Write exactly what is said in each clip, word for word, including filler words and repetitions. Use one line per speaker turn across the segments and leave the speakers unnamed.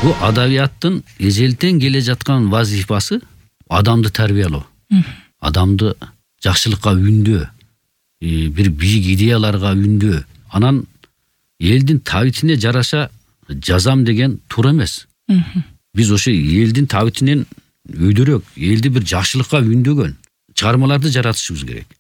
Бул адабияттын эжелтен келе жаткан вазифасы адамды тарбиялоо, адамды жакшылыкка үндөө, бир бийик идеяларга үндөө. Анан элдин табитине жараша жазам деген туура эмес. Биз ошо элдин табитинен өйдөрөөк, элди бир жакшылыкка үндөгөн чыгармаларды жаратышыбыз керек.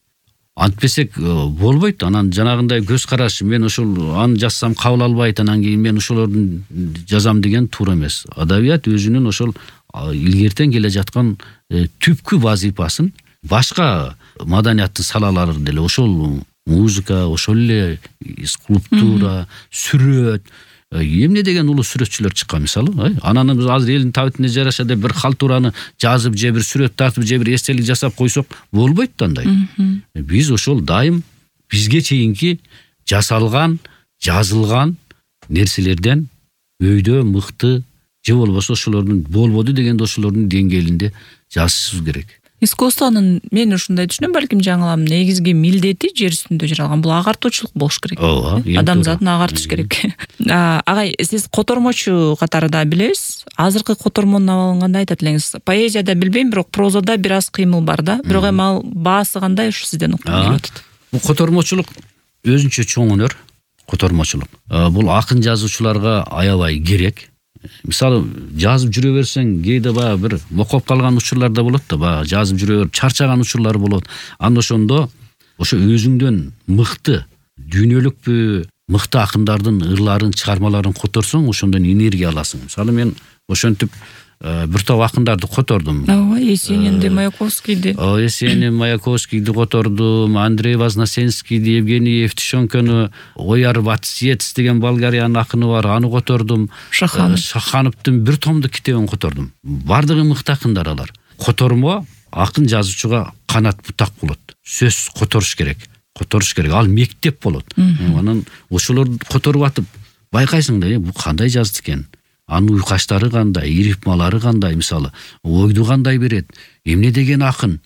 Антпесек болбойт. Анан жанагындай көз караш, мен ошол аны жазсам кабыл албайт, анан кийин мен ошолордун жазам деген туура эмес. Адабият өзүнүн ошол илгертен келе жаткан түпкү вазифасын башка маданияттын салалары деле ошол музыка, ошол эле скульптура, сүрөт, эмне деген улуу сүрөтчүлөр чыккан мисалы. Анан биз азыр элдин табитине жараша деп бир халтураны жазып же бир сүрөт тартып же бир эстелик жасап койсок болбойт да андай. Биз ошол дайым бизге чейинки жасалган, жазылган нерселерден өйдө мыкты же болбосо ошолордун болбоду дегенде ошолордун деңгээлинде жазышыбыз керек.
Искусствонун мен ушундай түшүнөм, балким жаңылам, негизги милдети жер үстүндө жаралган бул агартуучулук болуш керек. Адамзатын агартыш керек. Агай, сиз котормочу катарында билебиз. Азыркы котормонун абалын кандай айтат элеңиз? Поэзияда билбейм, бирок прозада бир аз кыймыл бар да. Бирок эми ал баасы кандай ушу сизден уккум келип атат?
Бул котормочулук өзүнчө чоң өнөр, котормочулук. Бул акын жазуучуларга аябай керек. Мисалы, жазып жүрө берсең, кээде баягы бир мокоп калган учурлар да болот да, баягы жазып жүрө берип чарчаган учурлар болот. Анда ошондо ошо өзүңдөн мыкты, дүйнөлүкпү, мыкты акындардын ырларын, чыгармаларын которсоң, ошондон энергия аласың. Мисалы, мен ошентип бир топ акындарды котордум.
Ооба, Есенинди, Маяковскийди.
О, Есенин, Маяковскийди котордум, Андрей Вознесенскийди, Евгений Евтушенкону, Ояр Ватсиец деген Болгариянын акыны бар, аны котордум.
Шаханов.
Шахановдун бир томдук китебин котордум. Бардыгы мыкты акындар алар. Котормо акын жазуучуга канат бутак болот. Сөз которуш керек. Которуш керек. Ал мектеп болот. Анан ошолорду которуп атып байкайсың да, бул кандай жазды экен? Анын уйкаштары кандай, рифмалары кандай, мисалы, ойду кандай берет, эмне деген акын,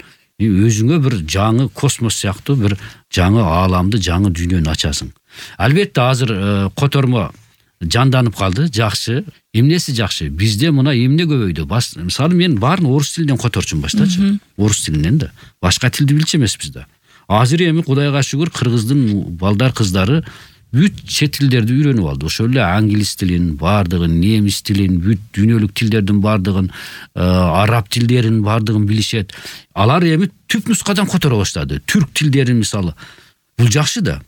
өзүңө бир жаңы космос сыяктуу бир жаңы ааламды, жаңы дүйнөнү ачасың. Албетте азыр котормо жанданып калды, жакшы. Эмнеси жакшы? Бизде мына эмне көбөйдү? Мисалы, мен баарын орус тилинен которчумун баштачы. Орус тилинен да. Башка тилди билчү эмеспиз да. Азыр эми Кудайга шүгүр кыргыздын балдар кыздары бүт чет тилдерди үйрөнүп алды. Ошол эле англис тилин, бардыгын, немис тилин, бүт дүйнөлүк тилдердин бардыгын, араб тилдерин бардыгын билишет. Алар эми түп нускадан которо баштады. Түрк тилдерин мисалы. Бул жакшы да.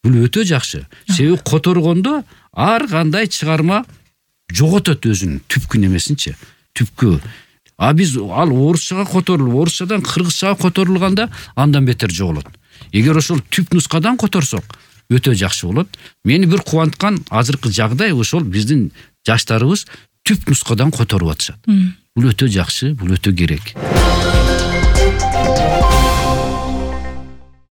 Бул өтө жакшы. Себеби которгондо ар кандай чыгарма жоготот өзүнүн түпкү немесинчи, түпкү. А биз ал орусчага которулуп, орусчадан кыргызчага которулганда андан бетер жоголот. Эгер ошол түп нускадан которсок, өтө жакшы болот. Мени бир кубанткан азыркы жагдай ошол биздин жаштарыбыз түп нускадан которуп атышат. Бул өтө жакшы, бул өтө керек.